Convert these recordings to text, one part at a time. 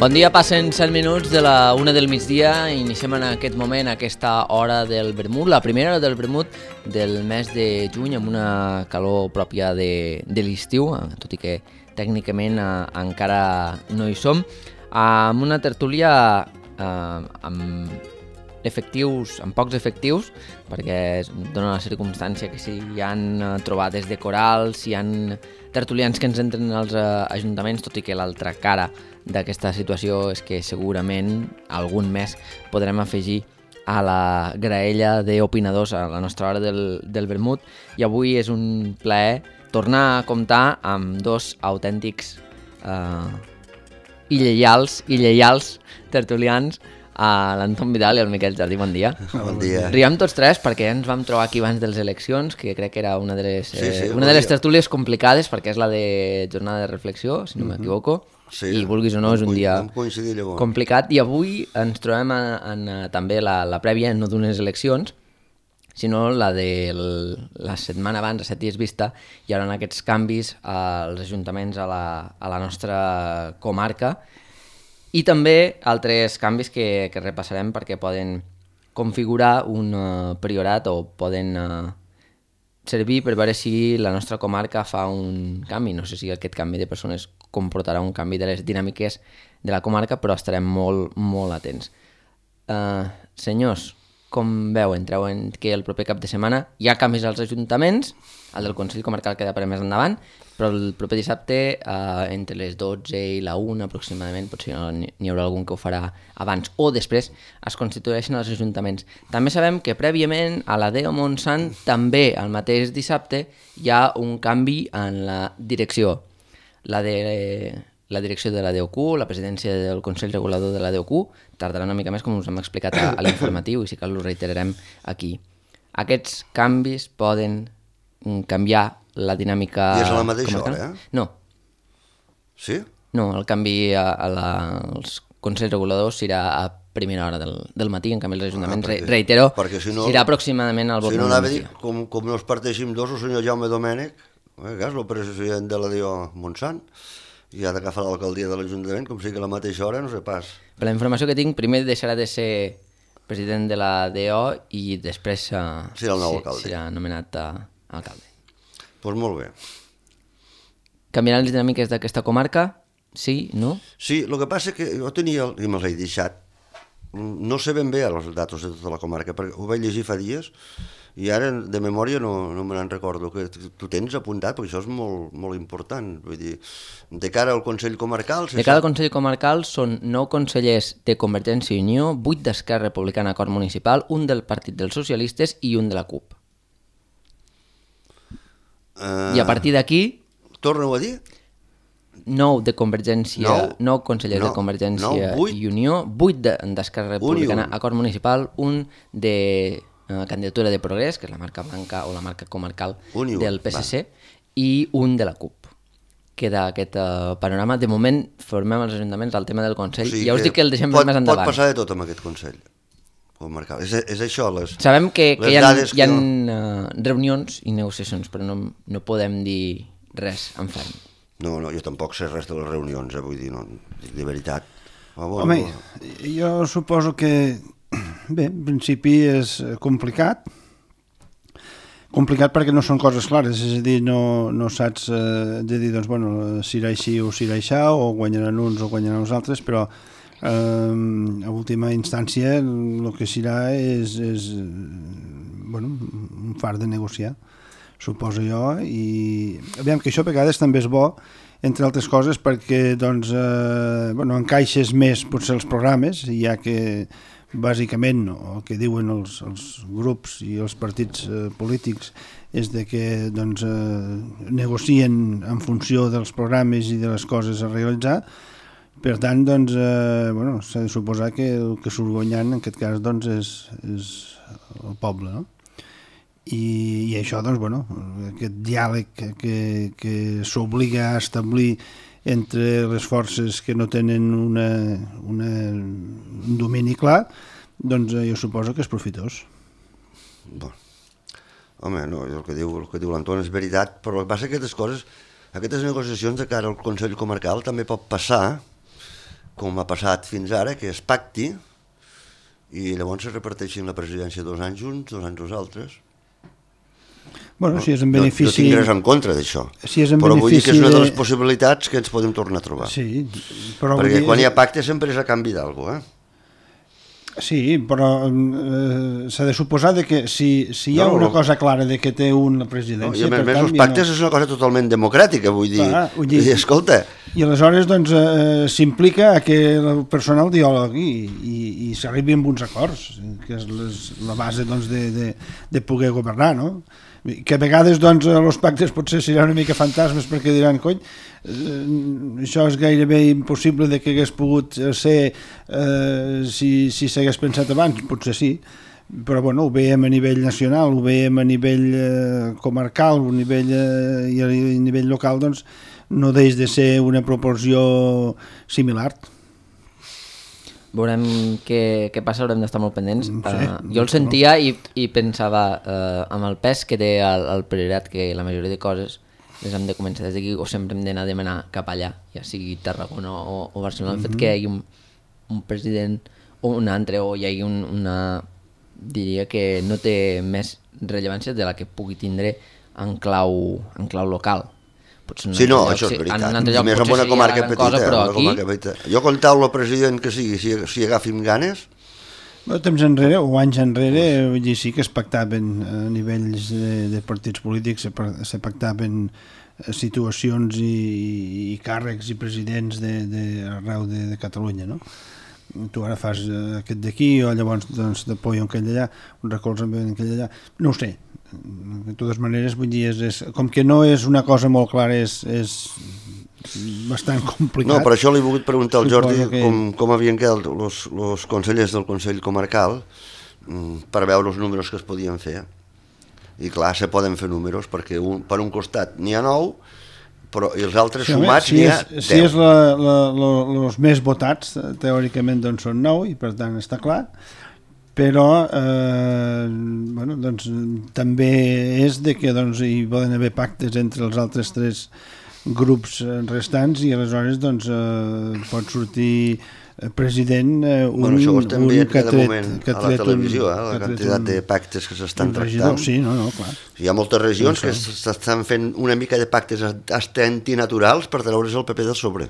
Bon dia, passen 7 minuts de la 1 del migdia. Iniciem en aquest moment aquesta hora del vermut, la primera hora del vermut del mes de juny, amb una calor pròpia de l'estiu, tot i que tècnicament encara no hi som, amb una tertúlia amb pocs efectius, perquè es dona la circumstància que si hi han trobades de corals, si hi han tertulians que ens entren als ajuntaments, tot i que l'altra cara d'aquesta situació és que segurament algun mes podrem afegir a la graella d'opinadors a la nostra hora del vermut, i avui és un plaer tornar a comptar amb dos autèntics i lleials tertulians, a l'Anton Vidal i al Miquel Jardí. Bon dia. Bon dia. Riem tots tres perquè ens vam trobar aquí abans de les eleccions, que crec que era una de les tertúlies complicades, perquè és la de jornada de reflexió, si no m'equivoco, i vulguis o no és un dia complicat, i avui ens trobem en també la prèvia, no d'unes eleccions, sinó la de la setmana abans, a 7 dies vista, hi haurà aquests canvis als ajuntaments a la nostra comarca, i també altres canvis que repassarem perquè poden configurar un priorat o poden servir per veure si la nostra comarca fa un canvi. No sé si aquest canvi de persones comportarà un canvi de les dinàmiques de la comarca, però estarem molt, molt atents. Senyors, com veuen? Treuen que el proper cap de setmana hi ha canvis als ajuntaments, el del Consell Comarcal queda per més endavant, però el proper dissabte, entre les 12 i la 1 aproximadament, potser n'hi haurà algun que ho farà abans o després, es constitueixen els ajuntaments. També sabem que prèviament a la DEO Montsant, també el mateix dissabte, hi ha un canvi en la direcció. La direcció de la DOQ, la presidència del Consell Regulador de la DOQ, tardarà una mica més, com us hem explicat a l'informatiu, i si cal ho reiterarem aquí. Aquests canvis poden canviar la dinàmica... I és a la mateixa hora, No. Sí? No, el canvi als Consells Reguladors serà a primera hora del matí, en canvi els ajuntaments, reitero, serà aproximadament al vot. Si no anava a dir, com no es parteixin dos, el senyor Jaume Domènech, que és el president de la DO Montsant, i ha d'agafar l'alcaldia de l'Ajuntament, com sigui a la mateixa hora, no sé pas. Per la informació que tinc, primer deixarà de ser president de la DO i després serà el nou alcalde. Serà nomenat alcalde. Doncs molt bé. Canviaran les dinàmiques d'aquesta comarca? Sí? No? Sí, el que passa que jo tenia, i me'ls he deixat, no sé ben bé els datos de tota la comarca, perquè ho vaig llegir fa dies, i ara de memòria no me n'en recordo. Que tu tens apuntat, perquè això és molt, molt important. Vull dir, de cara al Consell Comarcal... De cara al Consell Comarcal són 9 consellers de Convergència i Unió, 8 d'Esquerra Republicana Acord Municipal, un del Partit dels Socialistes i un de la CUP. I a partir d'aquí... Torna-ho a dir? 9 de Convergència, 9 consellers de Convergència i Unió, 8 d'Esquerra Republicana Acord Municipal, un de candidatura de Progrés, que és la marca blanca o la marca comarcal del PSC, i un de la CUP. Queda aquest panorama. De moment formem els ajuntaments al tema del Consell. Ja us dic que el deixem més endavant. Pot passar de tot amb aquest Consell comarcal. És això, les dades... Sabem que hi ha reunions i negociacions, però no podem dir res en ferm. No, jo tampoc sé res de les reunions, vull dir, no, de veritat. Home, jo suposo que, bé, en principi és complicat perquè no són coses clares, és a dir, no saps de dir, doncs, bueno, si irà així o si irà aixà, o guanyaran uns o guanyaran els altres, però a última instància el que serà és un far de negociar, suposo jo, i aviam que això a vegades també és bo, entre altres coses, perquè doncs, encaixes més potser els programes, ja que bàsicament el que diuen els grups i els partits polítics és de que doncs, negocien en funció dels programes i de les coses a realitzar. Per tant, doncs, s'ha de suposar que el que surt guanyant en aquest cas doncs, és el poble, no? I això, doncs, aquest diàleg que s'obliga a establir entre les forces que no tenen un domini clar, doncs jo suposo que és profitós. Bon. Home, no, el que diu l'Anton és veritat, però el que passa que aquestes coses, aquestes negociacions de cara al Consell Comarcal també pot passar com ha passat fins ara, que es pacti i llavors es reparteixin la presidència 2 anys uns, 2 anys els altres. Bueno, si és en benefici... No tinc res en contra d'això, si però vull dir que és una de les possibilitats que ens podem tornar a trobar. Sí, però perquè quan hi ha pacte sempre és a canvi d'alguna cosa, Sí, però s'ha de suposar que si hi ha una cosa clara de que té la presidència... I a més, els pactes és una cosa totalment democràtica, vull dir, escolta... I aleshores doncs, s'implica que el personal diàleg i s'arribi amb uns acords, que és la base doncs, de poder governar, no? Que a vegades doncs, els pactes potser seran una mica fantasmes perquè diran, cony, això és gairebé impossible de que hagués pogut ser si s'hagués pensat abans, potser sí, però bueno, ho veiem a nivell nacional, ho veiem a nivell comarcal, a nivell local, doncs no deix de ser una proporció similar. Veurem què passa, haurem d'estar molt pendents. Jo el sentia i pensava amb el pes que té el priorat, que la majoria de coses les hem de començar des d'aquí o sempre hem d'anar a demanar cap allà, ja sigui Tarragona o Barcelona. El fet que hi hagi un president o un altre, o hi hagi una... diria que no té més rellevància de la que pugui tindre en clau local. Sí, no, això és veritat. I més en una comarca petita. Jo comptau el president que sigui, si agafim ganes... Temps enrere, o anys enrere, sí que es pactaven a nivells de partits polítics, se pactaven situacions i càrrecs i presidents arreu de Catalunya, no? Tu ara fas aquest d'aquí, o llavors t'apoyo aquell d'allà, un recolze amb aquell d'allà, no ho sé. De totes maneres, vull dir, com que no és una cosa molt clara, és bastant complicat. No, per això li he volgut preguntar al Jordi com havien quedat els consellers del Consell Comarcal per veure els números que es podien fer. I clar, se poden fer números, perquè per un costat n'hi ha 9, però els altres sumats n'hi ha 10. Si és els més votats, teòricament doncs són 9, i per tant està clar, però bueno, doncs, també és de que doncs, hi poden haver pactes entre els altres 3 grups restants i aleshores doncs, pot sortir president això ho estem veient cada moment a la televisió, la quantitat de pactes que s'estan tractant. Sí, clar. Hi ha moltes regions que s'estan fent una mica de pactes antinaturals per treure's el paper del sobre.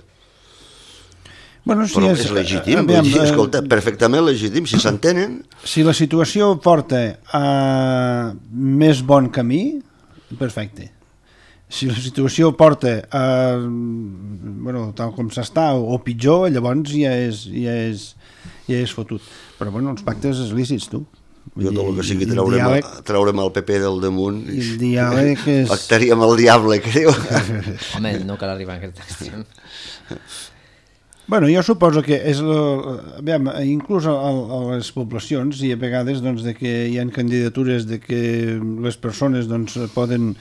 Bueno, però és legítim, escolta, perfectament legítim, si s'entenen. Si la situació porta a més bon camí, perfecte. Si la situació porta a, bueno, tal com s'està, o pitjor, llavors ja és fotut. Però bueno, els pactes és lícits, tu. Jo tot el que sigui treure'm el PP del damunt, el diàleg és... pactaríem el diable, creu. Home, no cal arribar a aquest extrem. Bueno, jo suposo que és inclús a les poblacions i a vegades doncs, de que hi ha candidatures de que les persones doncs, poden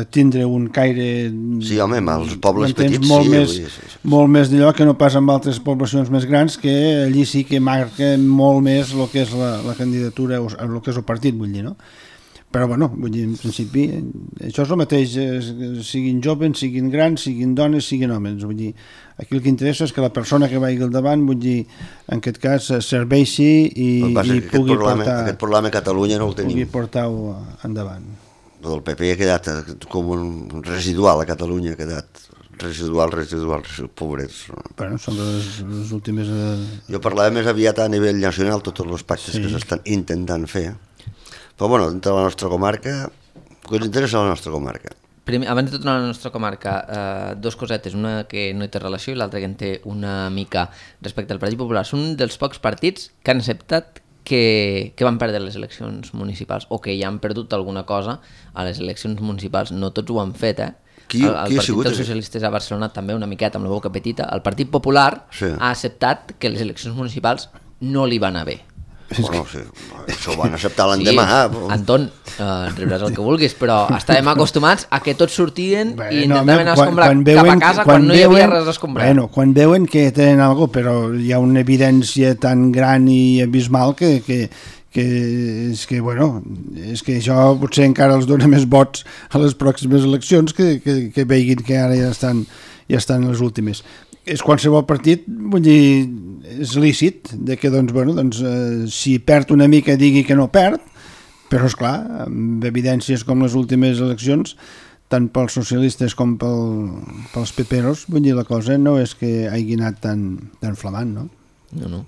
tindre un caire... Sí, home, els pobles petits molt més d'allò que no passa amb altres poblacions més grans, que allí sí que marca molt més el que és la candidatura o el que és el partit, vull dir, no? Però, bueno, vull dir, en principi, això és el mateix, siguin joves, siguin grans, siguin dones, siguin homes, vull dir, aquí el que interessa és que la persona que vagi al davant, vull dir, en aquest cas, serveixi i pugui portar... Aquest problema a Catalunya no el tenim. Pugui portar-ho endavant. El PP ha quedat com un residual a Catalunya, ha quedat residual, pobrets. Bueno, són les últimes... Jo parlava més aviat a nivell nacional, tots els pactes que s'estan intentant fer. Però bueno, dintre de la nostra comarca, què ens interessa la nostra comarca? Primer, abans de tornar a la nostra comarca, 2 cosetes, una que no hi té relació i l'altra que en té una mica respecte al Partit Popular. Són dels pocs partits que han acceptat que van perdre les eleccions municipals o que ja han perdut alguna cosa a les eleccions municipals. No tots ho han fet, Qui el Partit dels Socialistes a Barcelona també una miqueta amb la boca petita. El Partit Popular ha acceptat que les eleccions municipals no li van anar bé. Bueno, sí, això ho van acceptar l'endemà. Sí, Anton, riuràs el que vulguis, però estàvem acostumats a que tots sortien i intentaven escombrar cap a casa quan no hi havia res a escombrar. Bueno, quan veuen que tenen alguna cosa, però hi ha una evidència tan gran i abismal que és que, bueno, és que això potser encara els dona més vots a les pròximes eleccions que veguin que ara ja estan les últimes. és qualsevol partit, vull dir, és lícit de que, doncs, bueno, doncs, si perd una mica digui que no perd, però, esclar, amb evidències com les últimes eleccions, tant pels socialistes com pels peperos, vull dir, la cosa no és que hagi anat tan flamant, no? No.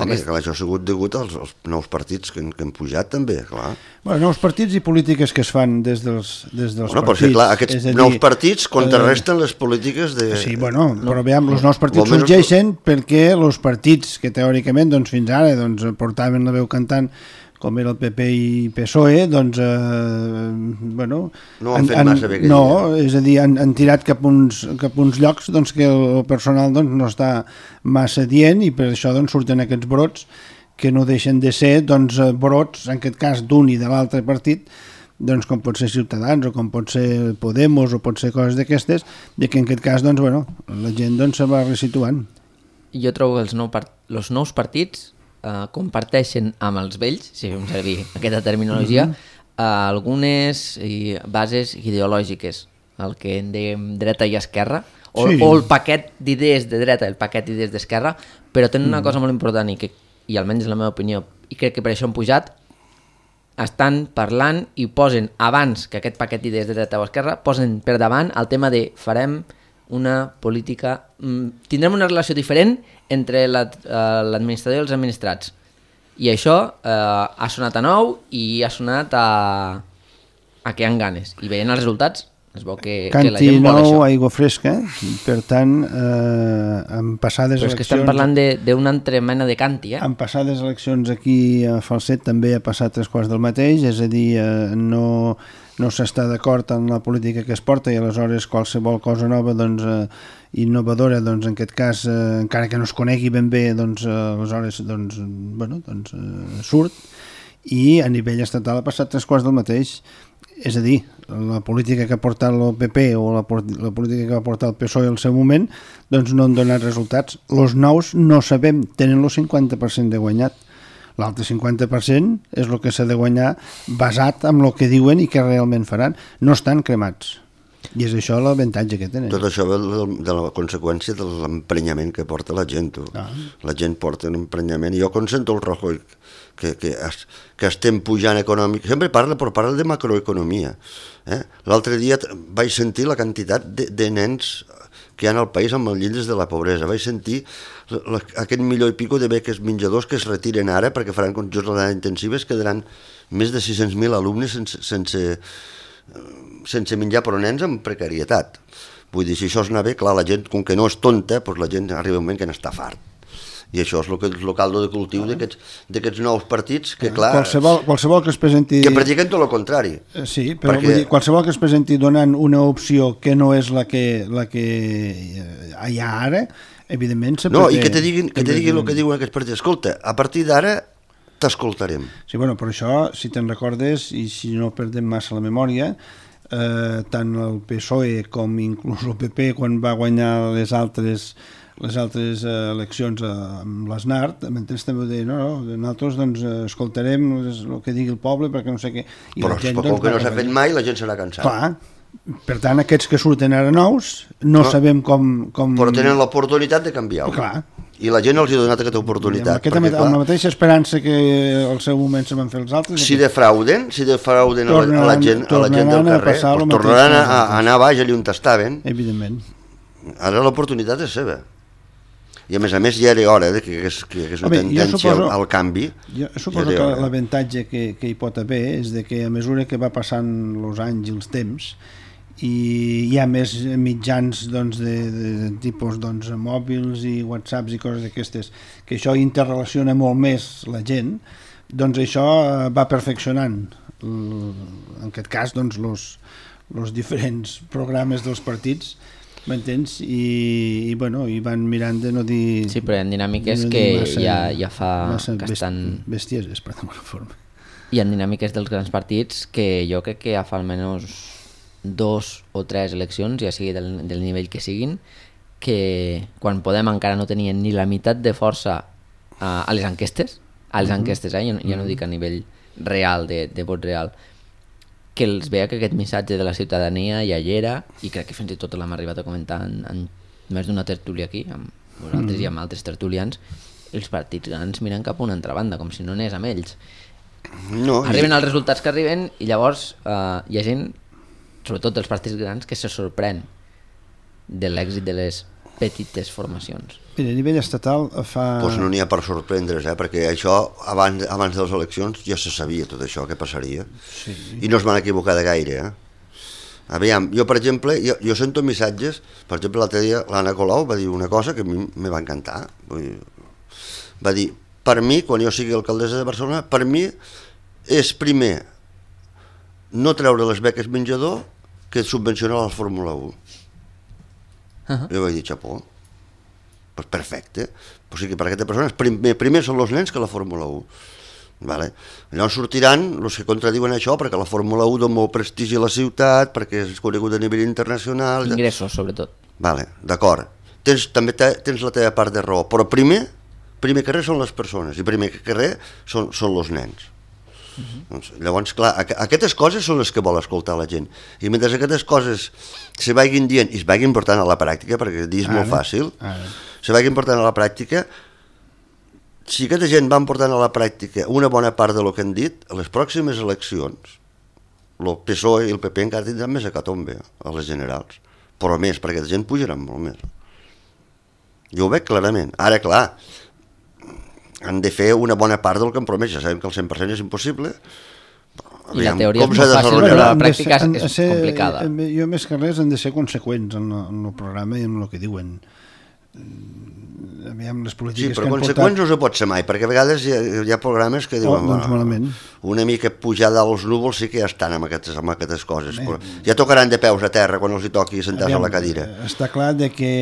Home, clar, això ha sigut degut als nous partits que han pujat, també, clar. Bueno, nous partits i polítiques que es fan des dels partits. Perquè, clar, aquests nous partits contrarresten les polítiques de... Sí, bueno, però veiem, els nous partits sorgeixen perquè els partits que teòricament, doncs, fins ara, doncs, portaven la veu cantant, com era el PP i PSOE, doncs, bueno... No han fet massa bé. No, és a dir, han tirat cap uns llocs doncs, que el personal doncs, no està massa dient i per això doncs, surten aquests brots que no deixen de ser doncs, brots, en aquest cas d'un i de l'altre partit, doncs, com pot ser Ciutadans o com pot ser Podemos o pot ser coses d'aquestes, i que en aquest cas doncs, bueno, la gent doncs, se va resituant. Jo trobo que els nous partits comparteixen amb els vells, si fem servir aquesta terminologia, algunes bases ideològiques, el que en dèiem dreta i esquerra, o el paquet d'idees de dreta i el paquet d'idees d'esquerra, però tenen una cosa molt important i almenys és la meva opinió, i crec que per això han pujat, estan parlant i posen abans que aquest paquet d'idees de dreta o esquerra, posen per davant el tema de farem una política... tindrem una relació diferent entre l'administrador i els administrats. I això ha sonat a nou i ha sonat a que hi ha ganes. I veient els resultats es veu que la gent vol això. Canti nou, aigua fresca, per tant, en passades eleccions... Però és que estem parlant d'una altra mena de canti, En passades eleccions aquí a Falset també ha passat 3/4 del mateix, és a dir, no s'està d'acord en la política que es porta i aleshores qualsevol cosa nova doncs, innovadora, doncs, en aquest cas, encara que no es conegui ben bé, doncs, aleshores doncs, bueno, doncs, surt i a nivell estatal ha passat 3/4 del mateix. És a dir, la política que ha portat el PP o la política que va portar el PSOE al seu moment doncs no han donat resultats. Els nous no sabem, tenen el 50% de guanyat. L'altre 50% és el que s'ha de guanyar basat en el que diuen i que realment faran. No estan cremats. I és això l'avantatge que tenen. Tot això ve de la conseqüència de l'emprenyament que porta la gent. La gent porta un emprenyament. Jo quan sento el Rajoy que estem pujant econòmic, sempre parla de macroeconomia. L'altre dia vaig sentir la quantitat de nens que hi ha al país amb els llindres de la pobresa. Vaig sentir aquest 1,5 milió de beques menjadors que es retiren ara perquè faran jornades intensives, quedaran més de 600.000 alumnes sense menjar, però nens amb precarietat. Vull dir, si això es anar bé, clar, la gent, com que no és tonta, doncs la gent arriba un moment que n'està fart. I això és el caldo de cultiu d'aquests nous partits que, clar... Qualsevol que es presenti... Que practiquen tot el contrari. Sí, però vull dir, qualsevol que es presenti donant una opció que no és la que hi ha ara, evidentment... No, i que te diguin el que diuen aquests partits. Escolta, a partir d'ara t'escoltarem. Sí, bueno, per això, si te'n recordes, i si no perdem massa la memòria, tant el PSOE com inclús el PP, quan va guanyar les altres eleccions amb l'Aznar, també deien, nosaltres doncs, escoltarem el que digui el poble perquè no sé què... Però com que no s'ha fet mai, la gent serà cansada. Clar, per tant, aquests que surten ara nous, no sabem com... Però tenen l'oportunitat de canviar-ho. Clar. I la gent els ha donat aquesta oportunitat. Amb la mateixa esperança que al seu moment se van fer els altres... Si defrauden a la gent del carrer, tornaran a anar baix allà on estaven. Evidentment. Ara l'oportunitat és seva. I a més ja era hora que és una tendència al canvi. Jo suposo que l'avantatge que hi pot haver és que a mesura que va passant els anys i els temps i hi ha més mitjans de tipus mòbils i whatsapps i coses d'aquestes, que això interrelaciona molt més la gent, doncs això va perfeccionant en aquest cas els diferents programes dels partits, m'entens? I van mirant de no dir... Sí, però hi ha dinàmiques que ja fa que estan... bestieses, per d'alguna forma. Hi ha dinàmiques dels grans partits que jo crec que ja fa almenys 2 o 3 eleccions, ja sigui del nivell que siguin, que quan Podem encara no tenien ni la meitat de força a les enquestes, ja no dic a nivell real, de vot real, que els veia que aquest missatge de la ciutadania ja hi era, i crec que fins i tot l'hem arribat a comentar en més d'una tertúlia aquí, amb vosaltres i amb altres tertulians, els partits grans miren cap a una altra banda, com si no anés amb ells. No, arriben els resultats que arriben i llavors hi ha gent, sobretot dels partits grans, que se sorprèn de l'èxit de les petites formacions. Mira, a nivell estatal fa... Doncs no n'hi ha per sorprendre's, perquè això abans de les eleccions ja se sabia tot això que passaria. Sí. I no es van equivocar de gaire, Aviam, jo per exemple, jo sento missatges, per exemple l'altre dia l'Anna Colau va dir una cosa que a mi me va encantar. Va dir, per mi, quan jo sigui alcaldessa de Barcelona, per mi és primer no treure les beques menjador que subvencionar la Fórmula 1. Jo vaig dir, xapó, pues perfecte. O sigui, per aquesta persona primer són els nens que la Fórmula 1. Vale. Llavors sortiran els que contradiuen això, perquè la Fórmula 1 dona molt prestigi a la ciutat, perquè és conegut a nivell internacional. Ingressos, sobretot. Vale, d'acord. També tens la teva part de raó, però primer que res són les persones, i primer que res són els nens. Doncs, llavors, clar, aquestes coses són les que vol escoltar la gent. I mentre aquestes coses se vagin dient i es vagin portant a la pràctica, perquè dir és molt fàcil, se vagin portant a la pràctica, si aquesta gent van portant a la pràctica una bona part del que han dit, a les pròximes eleccions, el PSOE i el PP encara tindran més hecatombe a les generals, però més, perquè aquesta gent pujaran molt més. Jo ho veig clarament. Ara, clar, han de fer una bona part del que han promès. Ja sabem que el 100% és impossible. I la teoria és molt fàcil, però la pràctica és complicada. Jo més que res han de ser conseqüents en el programa i en el que diuen. Aviam, les polítiques sí, però conseqüents no se pot ser mai, perquè a vegades hi ha programes que diuen una mica pujar dels núvols sí que ja estan amb aquestes coses. Ja tocaran de peus a terra quan els hi toqui sentar-se a la cadira. Està clar que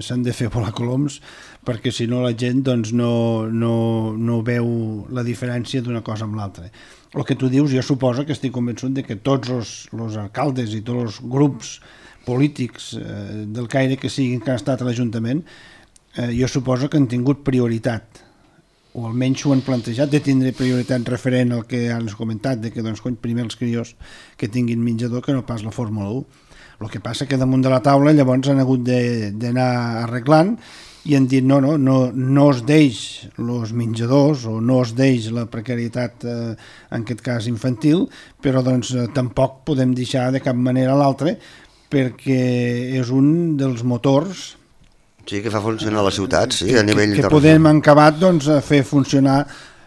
s'han de fer volar coloms, perquè si no la gent doncs, no veu la diferència d'una cosa amb l'altra. El que tu dius, jo suposo que estic convençut de que tots els alcaldes i tots els grups polítics del caire que siguin que han estat a l'Ajuntament, jo suposo que han tingut prioritat, o almenys ho han plantejat de tindre prioritat referent al que han comentat, de que doncs, primer els crios que tinguin menjador que no pas la Fórmula 1. El que passa que damunt de la taula llavors han hagut d'anar arreglant i han dit no es deix els menjadors o no es deix la precarietat en aquest cas infantil, però doncs tampoc podem deixar de cap manera l'altre perquè és un dels motors que fa funcionar la ciutat, a nivell que podem acabat doncs, fer funcionar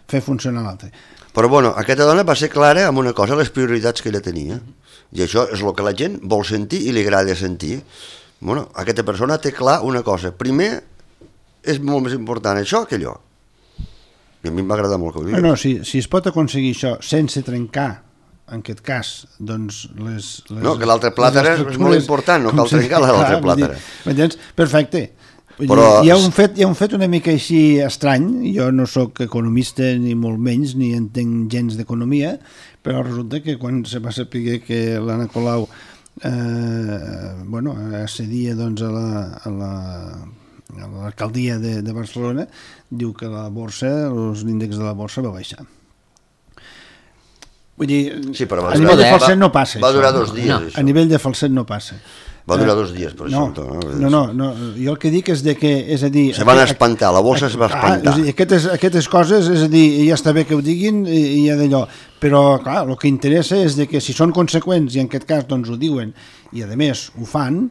l'altre. Però bueno, aquesta dona va ser clara amb una cosa, les prioritats que ella tenia, i això és el que la gent vol sentir i li agrada sentir. Bueno, aquesta persona té clar una cosa, primer és molt més important això que allò, i a mi m'agrada molt que ho diguis. No, si es pot aconseguir això sense trencar en aquest cas, doncs no, que l'altre plàter és molt important, no cal trencar l'altre plàter. Perfecte. Però hi ha un fet una mica així estrany, jo no sóc economista ni molt menys, ni entenc gens d'economia, però resulta que quan se va saber que l'Anna Colau accedia doncs, a l'alcaldia de Barcelona, diu que la borsa, l'índex de la borsa va baixar. Vull dir, a nivell de falset no passa. Va durar 2 dies. A nivell de falset no passa. Va durar 2 dies, per això. No, jo el que dic és que... Se van espantar, la borsa es va espantar. Aquestes coses, és a dir, ja està bé que ho diguin i ja d'allò, però clar, el que interessa és que si són conseqüents i en aquest cas doncs ho diuen i a més ho fan,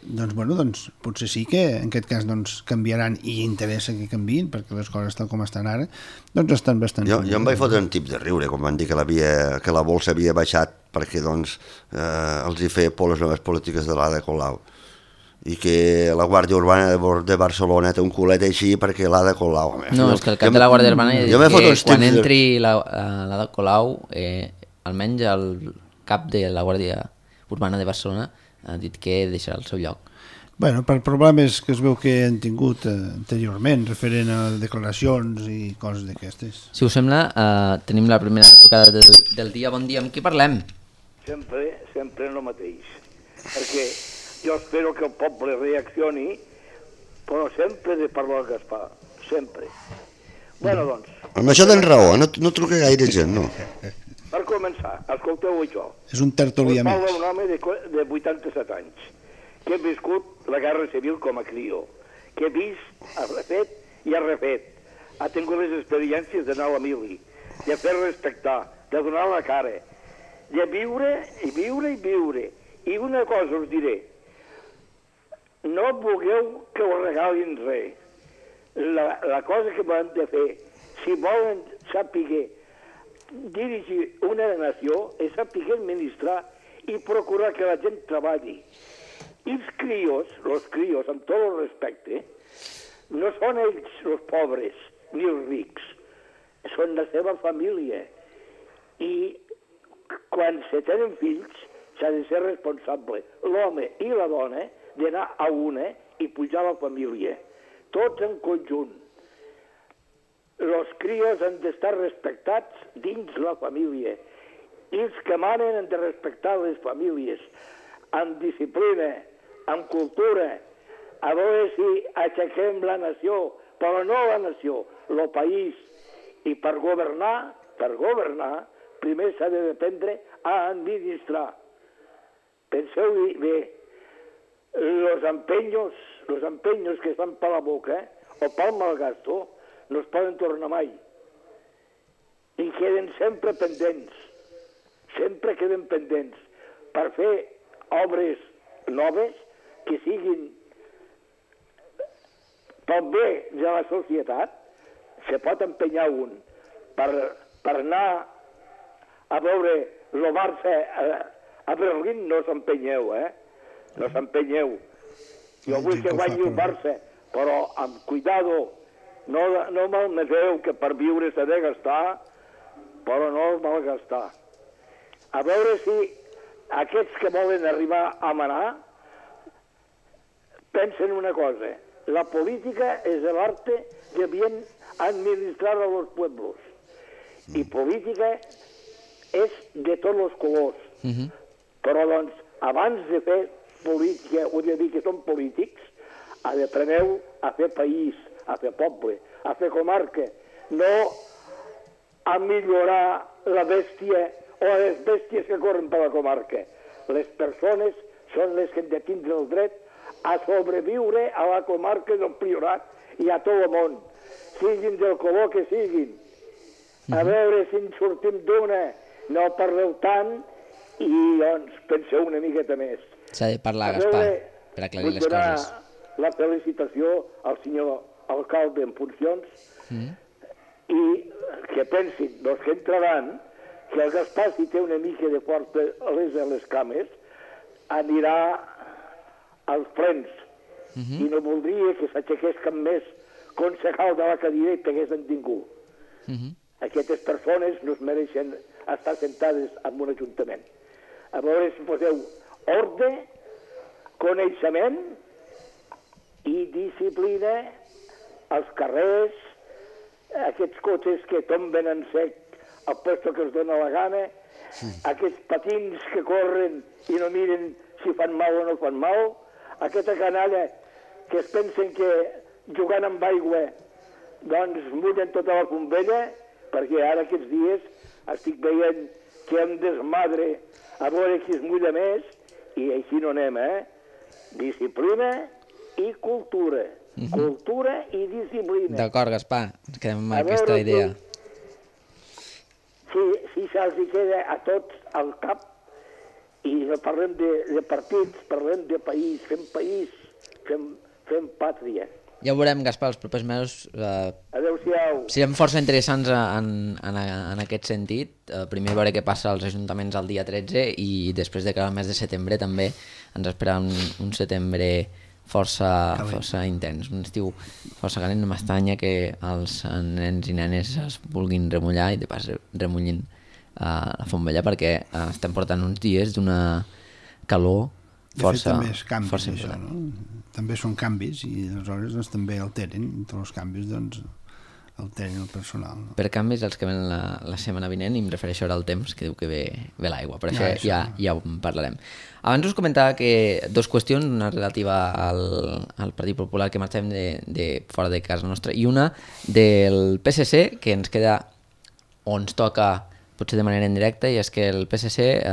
doncs potser sí que en aquest cas canviaran i interessa que canviïn perquè les coses tal com estan ara doncs estan bastant... Jo em vaig fotre un tip de riure quan van dir que la bolsa havia baixat perquè els hi feia por les noves polítiques de l'Ada Colau i que la Guàrdia Urbana de Barcelona té un culet així perquè l'Ada Colau... No, és que el cap de la Guàrdia Urbana ha dit que quan entri l'Ada Colau almenys el cap de la Guàrdia Urbana de Barcelona ha dit que deixarà el seu lloc. Bueno, per problemes que es veu que han tingut anteriorment, referent a declaracions i coses d'aquestes. Si us sembla, tenim la primera tocada del dia. Bon dia, amb qui parlem? Sempre el mateix. Perquè jo espero que el poble reaccioni, però sempre he de parlar al Gaspar. Sempre. Bueno, doncs... Amb això tens raó, no truca gaire gent, no? Per començar, escolteu això. És un tertulià més. Parla un home de 87 anys que he viscut la Guerra Civil com a crió, que he vist, ha refet i ha refet. Ha tingut les experiències d'anar a la mili, de fer respectar, de donar la cara, de viure i viure i viure. I una cosa us diré, no vulgueu que us regalin res. La cosa que van de fer, si volen saber dirigir una nació, és saber administrar i procurar que la gent treballi. I els crios, amb tot el respecte, no són ells els pobres ni els rics, són la seva família. I quan se tenen fills s'ha de ser responsable, l'home i la dona, d'anar a una i pujar a la família, tots en conjunt. Els crios han d'estar respectats dins la família. I els que manen han de respectar les famílies, amb disciplina, amb cultura, a veure si aixequem la nació, però no la nació, el país. I per governar, primer s'ha d'aprendre a administrar. Penseu bé, los empeños que es fan per la boca o pel malgasto no es poden tornar mai. I queden sempre pendents. Sempre queden pendents per fer obres noves que siguin pel bé de la societat. Se pot empenyar un per anar a veure el Barça a Berlín. No s'empenyeu, no s'empenyeu. Jo vull que guanyi el Barça, però amb cuidado. No malmeteu, que per viure s'ha de gastar, però no el malgastar. A veure si aquests que volen arribar a manar pensen una cosa. La política és l'arte de bien administrar a los pueblos. I política és de tots els colors. Però, doncs, abans de fer política, o de dir que són polítics, apreneu a fer país, a fer poble, a fer comarca, no a millorar la bèstia o les bèsties que corren per la comarca. Les persones són les que han de tindre el dret a sobreviure a la comarca del Priorat i a tot el món, siguin del color que siguin. A veure si en sortim d'una, no parleu tant i doncs penseu una miqueta més. S'ha de parlar, Gaspar, per aclarir les coses. Vull donar la felicitació al senyor alcalde en funcions i que pensin, els que entraran, que el Gaspar, si té una mica de força a les cames, anirà als plens i no voldria que s'aixequés cap més concejal de la cadira que haguessin tingut. Aquestes persones no es mereixen estar sentades en un ajuntament. A veure si poseu ordre, coneixement i disciplina als carrers, aquests cotxes que tomben en sec al puesto que els dona la gana, aquests patins que corren i no miren si fan mal o no fan mal, aquesta canalla que es pensen que jugant amb aigua doncs mullen tota la pombella, perquè ara aquests dies estic veient que em desmadre a veure qui es mulla més i així no anem, Disciplina i cultura. Cultura i disciplina. D'acord, Gaspar, ens quedem amb aquesta idea. Si se'ls queda a tots al cap i no parlem de partits, parlem de país, fem pàtria. Ja ho veurem, Gaspar, els propers mesos. Adéu-siau. Serem força interessants en aquest sentit. Primer veure què passa als ajuntaments el dia 13 i després de cara al mes de setembre també ens espera un setembre força intens, un estiu força calent. No m'estranya que els nens i nenes es vulguin remullar i de pas remullin la fombella perquè estem portant uns dies d'una calor força important. No? També són canvis i aleshores doncs, també alteren, entre els canvis doncs, alteren el personal. No? Per canvis, els que venen la setmana vinent, i em refereixo ara al temps, que diu que ve l'aigua, per això ja ho parlarem. Abans us comentava que dues qüestions, una relativa al Partit Popular que marxem de fora de casa nostra i una del PSC, que ens queda o ens toca potser de manera indirecta, i és que el PSC,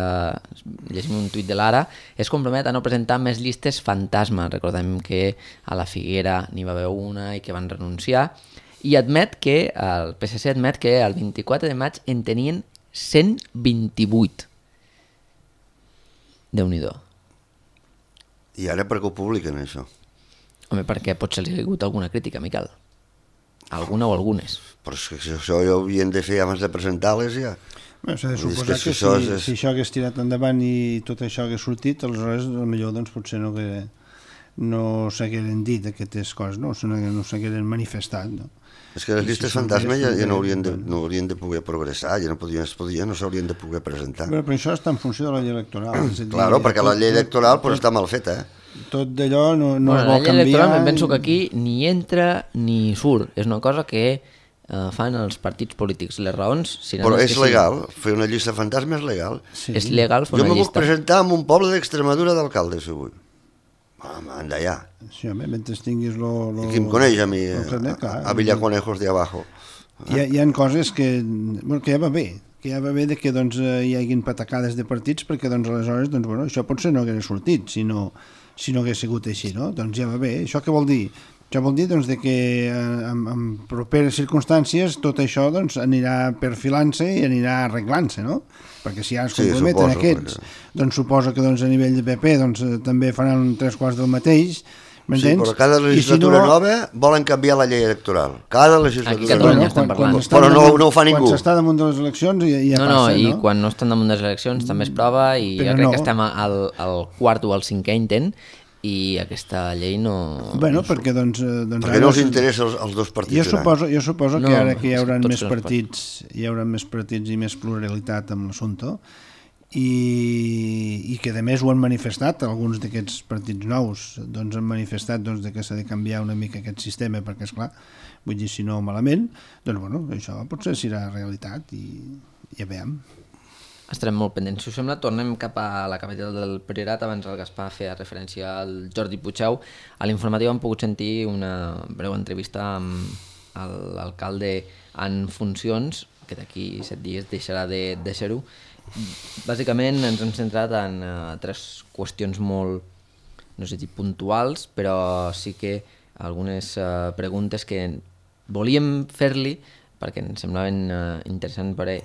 llegim un tuit de l'Ara, es compromet a no presentar més llistes fantasma. Recordem que a la Figuera n'hi va haver una i que van renunciar, i el PSC admet que el 24 de maig en tenien 128. Déu-n'hi-do. I ara per què ho publiquen, això? Home, perquè potser li ha hagut alguna crítica, Miquel. Alguna o algunes. Però és que això ja ho havien de fer abans de presentar-les, ja. Bé, s'ha de suposar que si això hagués tirat endavant i tot això hagués sortit, aleshores potser doncs, potser no s'hagueren dit aquestes coses, no s'hagueren manifestat, no? És que les llistes fantasma ja no haurien de poder progressar, ja no s'haurien de poder presentar. Però això està en funció de la llei electoral. Claro, perquè la llei electoral està mal feta, Tot d'allò no es vol canviar. La llei electoral em penso que aquí ni entra ni surt. És una cosa que fan els partits polítics. Les raons... Però és legal, fer una llista fantasma és legal. És legal fer una llista. Jo me puc presentar en un poble d'Extremadura d'alcalde, si vull. Anda ja. Sí, home, mentre tinguis I qui em coneix a mi, a Villaconejos de abajo. Hi ha coses que ja va bé, que hi hagin patacades de partits, perquè aleshores això potser no hagués sortit si no hagués sigut així, no? Doncs ja va bé. Això què vol dir? Això vol dir que en properes circumstàncies tot això anirà perfilant-se i anirà arreglant-se, no? Perquè si ja es comprometen aquests, doncs suposo que a nivell de PP també faran 3/4 del mateix, m'entens? Sí, però cada legislatura nova volen canviar la llei electoral. Cada legislatura nova. Però no ho fa ningú. Quan s'està damunt de les eleccions ja passa, no? I quan no estan damunt de les eleccions també es prova, i jo crec que estem al quart o al cinquè intent, i aquesta llei no... Bueno, perquè perquè no els interessa als dos partits. Jo suposo que ara que hi haurà més partits i més pluralitat amb l'assumpte, i que a més ho han manifestat, alguns d'aquests partits nous han manifestat que s'ha de canviar una mica aquest sistema, perquè esclar, vull dir, si no malament, això potser serà realitat i ja veiem. Estarem molt pendents. Si us sembla, tornem cap a la capital del Priorat. Abans el Gaspar feia referència al Jordi Puigdeu. A l'informatiu hem pogut sentir una breu entrevista amb l'alcalde en funcions, que d'aquí 7 dies deixarà de ser-ho. Bàsicament ens hem centrat en 3 qüestions molt, no sé si puntuals, però sí que algunes preguntes que volíem fer-li perquè ens semblaven interessants per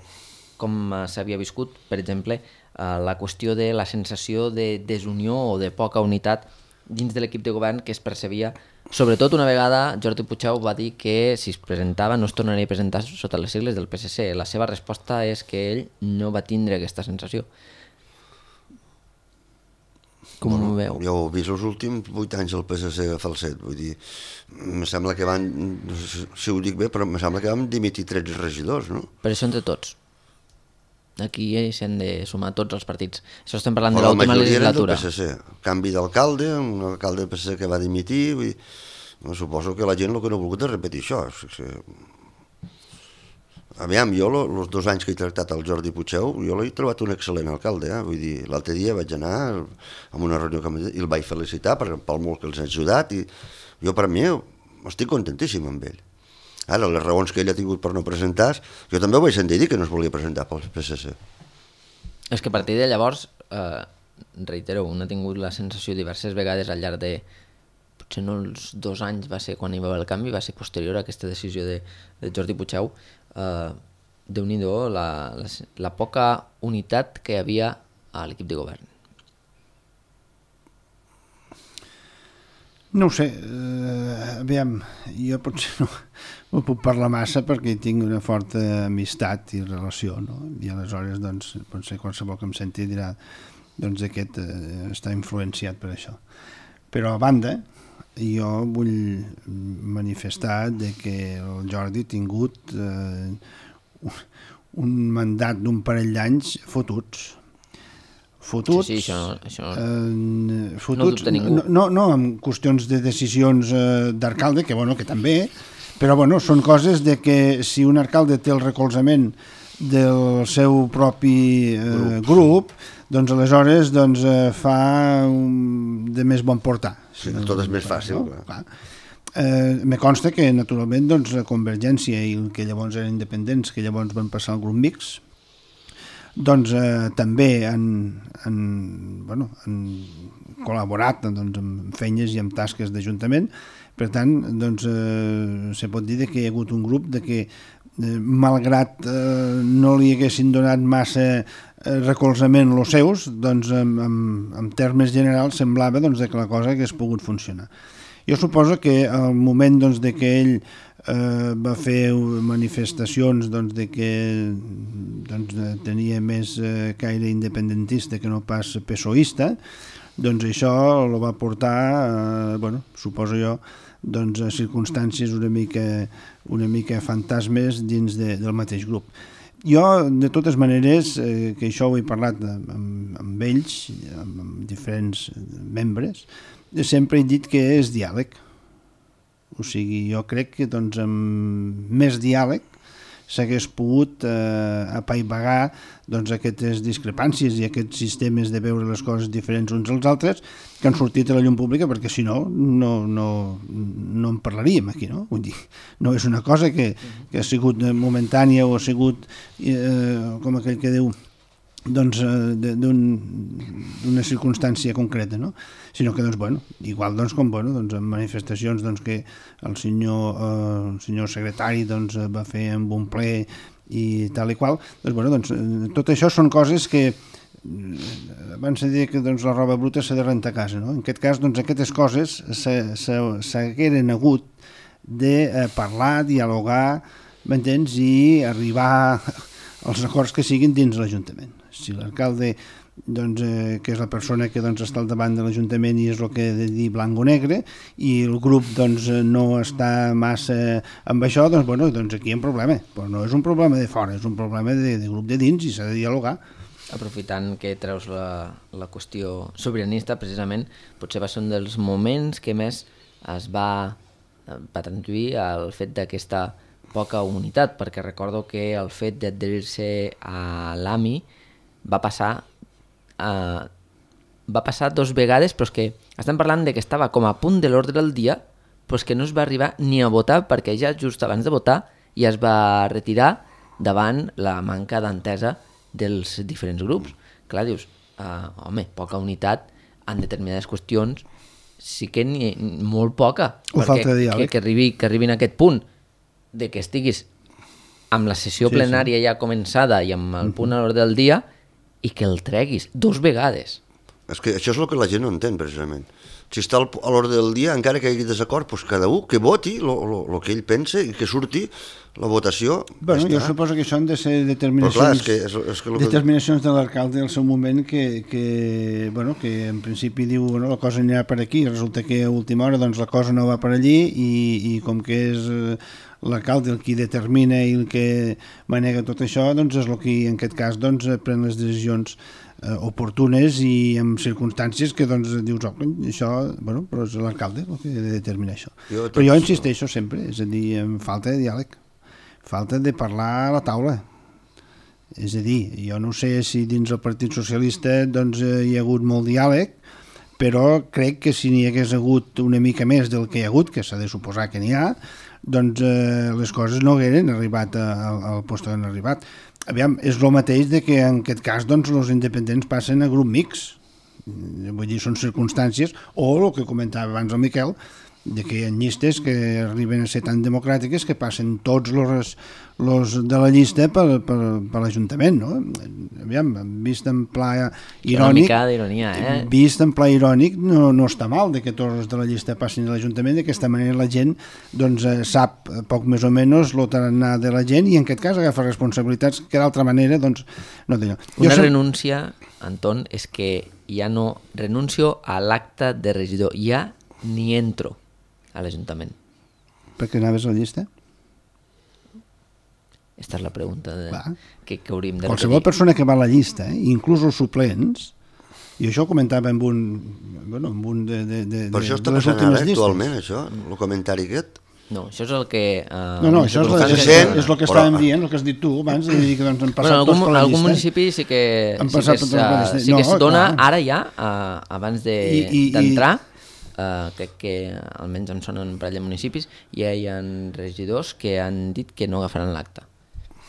com s'havia viscut, per exemple, la qüestió de la sensació de desunió o de poca unitat dins de l'equip de govern que es percebia. Sobretot una vegada Jordi Puigdeu va dir que si es presentava no es tornaria a presentar sota les sigles del PSC. La seva resposta és que ell no va tindre aquesta sensació. Com ho veu? Jo ho he vist els últims 8 anys del PSC a Falset, vull dir, em sembla que van, no sé si ho dic bé, però em sembla que vam dimitir 13 regidors, no? Per això entre tots. Aquí s'han de sumar tots els partits. Això estem parlant de l'última legislatura. La majoria eren del PSC. Canvi d'alcalde, un alcalde del PSC que va dimitir. Vull dir, suposo que la gent el que no ha volgut és repetir això. Aviam, jo els 2 anys que he tractat el Jordi Puigdeu, jo l'he trobat un excel·lent alcalde. Vull dir, l'altre dia vaig anar a una reunió i el vaig felicitar pel molt que els ha ajudat. I jo, per mi, estic contentíssim amb ell. Ara, les raons que ell ha tingut per no presentar, jo també ho vaig sentir dir que no es volia presentar pel PSC. És que a partir de llavors, reitero, un ha tingut la sensació diverses vegades al llarg de, potser no els 2 anys va ser quan hi va haver el canvi, va ser posterior a aquesta decisió de Jordi Puigdeu, Déu-n'hi-do la poca unitat que hi havia a l'equip de govern. No ho sé, aviam, jo potser no puc parlar massa perquè hi tinc una forta amistat i relació, no? I aleshores, potser qualsevol que em senti dirà aquest està influenciat per això. Però a banda, jo vull manifestar que el Jordi ha tingut un mandat d'un parell d'anys fotuts. Sí, això fotuts, no dubta ningú. No amb qüestions de decisions d'alcalde, que també, però són coses de que si un alcalde té el recolzament del seu propi grup, doncs aleshores fa de més bon portar. Sí, tot és més fàcil. No? Clar. Me consta que naturalment Convergència i el que llavors eren independents, que llavors van passar al grup mix, doncs també han col·laborat doncs, amb feines i amb tasques d'Ajuntament. Per tant, doncs, se pot dir que hi ha hagut un grup de que, malgrat no li haguessin donat massa recolzament els seus, doncs, en termes generals semblava doncs, que la cosa hagués pogut funcionar. Jo suposo que al moment doncs, de que ell va fer manifestacions doncs, de que doncs, tenia més caire independentista que no pas PSOista, doncs això el va portar, suposo jo, doncs, a circumstàncies una mica fantasmes dins del mateix grup. Jo, de totes maneres, que això ho he parlat amb ells, amb diferents membres, sempre he dit que és diàleg. O sigui, jo crec que doncs, amb més diàleg s'hagués pogut apaivagar doncs, aquestes discrepàncies i aquests sistemes de veure les coses diferents uns als altres que han sortit a la llum pública, perquè si no en parlaríem aquí, no? Vull dir, no és una cosa que ha sigut momentània o ha sigut, com aquell que diu, doncs, d'una circumstància concreta, no? Sinó que, doncs, igual doncs, com doncs, en manifestacions doncs, que el senyor secretari doncs, va fer amb un ple i tal i qual, doncs, tot això són coses que abans de dir que doncs, la roba bruta s'ha de rentar a casa, no? En aquest cas, doncs, aquestes coses s'hagueren hagut de parlar, dialogar, m'entens, i arribar als acords que siguin dins l'Ajuntament. Si l'alcalde, doncs, que és la persona que doncs, està al davant de l'Ajuntament i és el que he de dir blanc o negre, i el grup doncs, no està massa amb això, doncs aquí hi ha un problema. Però no és un problema de fora, és un problema de grup de dins i s'ha de dialogar. Aprofitant que treus la qüestió sobiranista, precisament, potser va ser un dels moments que més es va traduir el fet d'aquesta poca unitat, perquè recordo que el fet d'adherir-se a l'AMI va passar 2 vegades, però és que estem parlant de que estava com a punt de l'ordre del dia, però és que no es va arribar ni a votar, perquè ja just abans de votar ja es va retirar davant la manca d'entesa dels diferents grups. Clar, dius, poca unitat en determinades qüestions sí que n'hi ha molt poca, perquè que arribin a aquest punt de que estiguis amb la sessió plenària ja començada i amb el punt a l'ordre del dia i que el treguis 2 vegades. És que això és el que la gent no entén, precisament. Si està a l'ordre del dia, encara que hi hagi desacord, doncs cada un que voti el que ell pensa i que surti la votació. Jo suposo que això han de ser determinacions de l'alcalde al seu moment que en principi diu la cosa anirà per aquí, resulta que a última hora doncs, la cosa no va per allí i com que és l'alcalde el qui determina i el que manega tot això, doncs és el que en aquest cas doncs, pren les decisions oportunes i en circumstàncies que doncs, dius, això, però és l'alcalde el que ha de determinar això. Però jo insisteixo sempre, és a dir, en falta de diàleg, falta de parlar a la taula. És a dir, jo no sé si dins el Partit Socialista doncs, hi ha hagut molt diàleg, però crec que si n'hi hagués hagut una mica més del que hi ha hagut, que s'ha de suposar que n'hi ha, doncs les coses no hagueren arribat al lloc on han arribat. Aviam, és el mateix de que en aquest cas doncs, els independents passen a grup mixt. Vull dir, són circumstàncies, o el que comentava abans el Miquel, de que hi ha llistes que arriben a ser tan democràtiques que passen tots els de la llista per l'Ajuntament, no? Aviam, vist en pla irònic, una mica d'ironia, vist en pla irònic no està mal de que tots els de la llista passin a l'Ajuntament, d'aquesta manera la gent doncs, sap poc més o menys el tarannà de la gent i en aquest cas agafa responsabilitats que d'altra manera doncs, no té. Una renúncia, Anton, és que ja no renuncio a l'acte de regidor, ja ni entro a l'Ajuntament. Per què anaves a la llista? Aquesta és la pregunta que hauríem de repetir. Qualsevol persona que va a la llista, inclús els suplents, i això ho comentava amb un de per això està passant ara actualment, això, el comentari aquest? No, això és el que... això és el que estàvem dient, el que has dit tu abans, de dir que doncs, han passat tots per la llista. Algun municipi sí que es dona ara ja, abans d'entrar, crec que almenys em sonen un parell de municipis, ja hi ha regidors que han dit que no agafaran l'acte.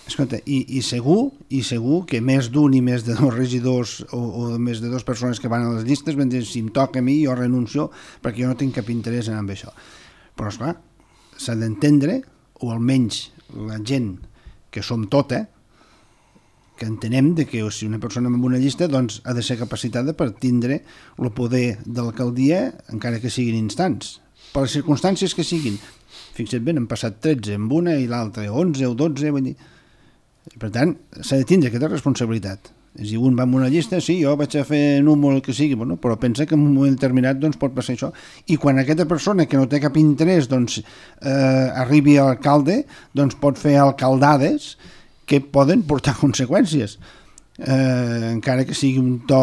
Escolta, i segur que més d'un i més de dos regidors o més de dues persones que van a les llistes van dir, si em toca a mi jo renuncio perquè jo no tinc cap interès en amb això. Però esclar, s'ha d'entendre, o almenys la gent que som tota, que entenem que si una persona amb una llista doncs ha de ser capacitada per tindre el poder de l'alcaldia encara que siguin instants, per les circumstàncies que siguin. Fixa't bé, han passat 13 amb una i l'altra 11 o 12, vull dir. Per tant, s'ha de tindre aquesta responsabilitat. És a dir, un va amb una llista, sí, jo vaig a fer número el que sigui, bueno, però pensa que en un moment determinat doncs, pot passar això. I quan aquesta persona que no té cap interès doncs, arribi a l'alcalde, doncs pot fer alcaldades que poden portar conseqüències. Encara que sigui un to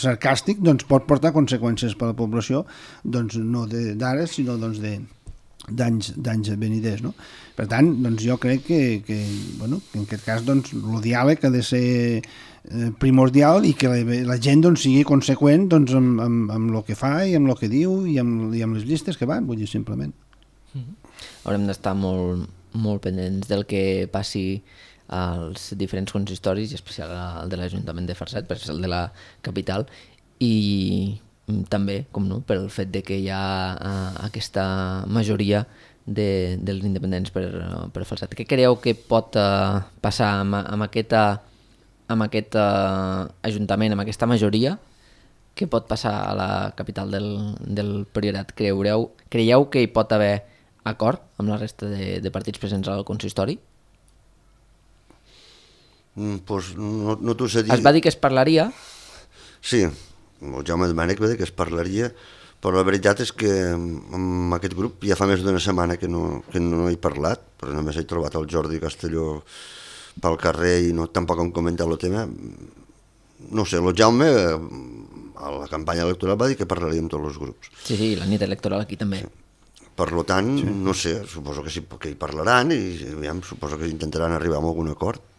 sarcàstic, doncs pot portar conseqüències per a la població, doncs no d'ara, sinó doncs d'anys veniders, no? Per tant, doncs jo crec que en aquest cas doncs, el diàleg ha de ser primordial i que la gent doncs, sigui conseqüent doncs, amb el que fa i amb el que diu i amb les llistes que van, vull dir, simplement. Haurem d'estar molt pendents del que passi als diferents consistoris, i especial el de l'Ajuntament de Falset, perquè és el de la capital, i també, com no, pel fet de que hi ha aquesta majoria dels independents per Falset. Què creieu que pot passar amb aquest ajuntament, amb aquesta majoria? Què pot passar a la capital del Priorat? Creieu que hi pot haver acord amb la resta de partits presents al consistori? Pues no t'ho sé dir. Es va dir que es parlaria? Sí, el Jaume Domènech va dir que es parlaria, però la veritat és que amb aquest grup ja fa més d'una setmana que no he parlat, però només he trobat el Jordi Castelló pel carrer i tampoc hem comentat el tema. No sé, el Jaume a la campanya electoral va dir que parlaria amb tots els grups. Sí, la nit electoral aquí també. Per tant, sí. No sé, suposo que sí que hi parlaran i suposo que intentaran arribar a algun acord.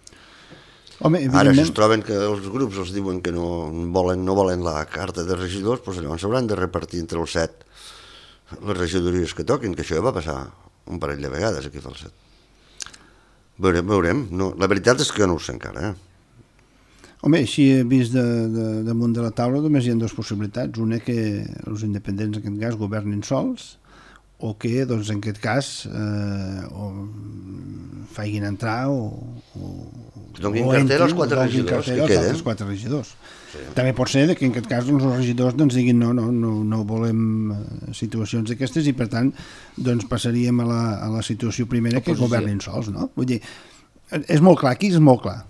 Home, ara, si es troben que els grups els diuen que no volen la carta de regidors, doncs llavors s'hauran de repartir entre els 7 les regidories que toquin, que això ja va passar un parell de vegades aquí a Falset. Veurem. No, la veritat és que no ho sé encara. Home, així he vist damunt de la taula només hi ha dues possibilitats. Una, que els independents en aquest cas governin sols, o que doncs, en aquest cas facin entrar o donin cartera als 4 regidors que queden. Els 4 regidors. Sí. També pot ser que en aquest cas doncs, els regidors doncs, diguin no volem situacions d'aquestes i per tant doncs, passaríem a la situació primera que governin sols. No? Vull dir, és molt clar, aquí és molt clar.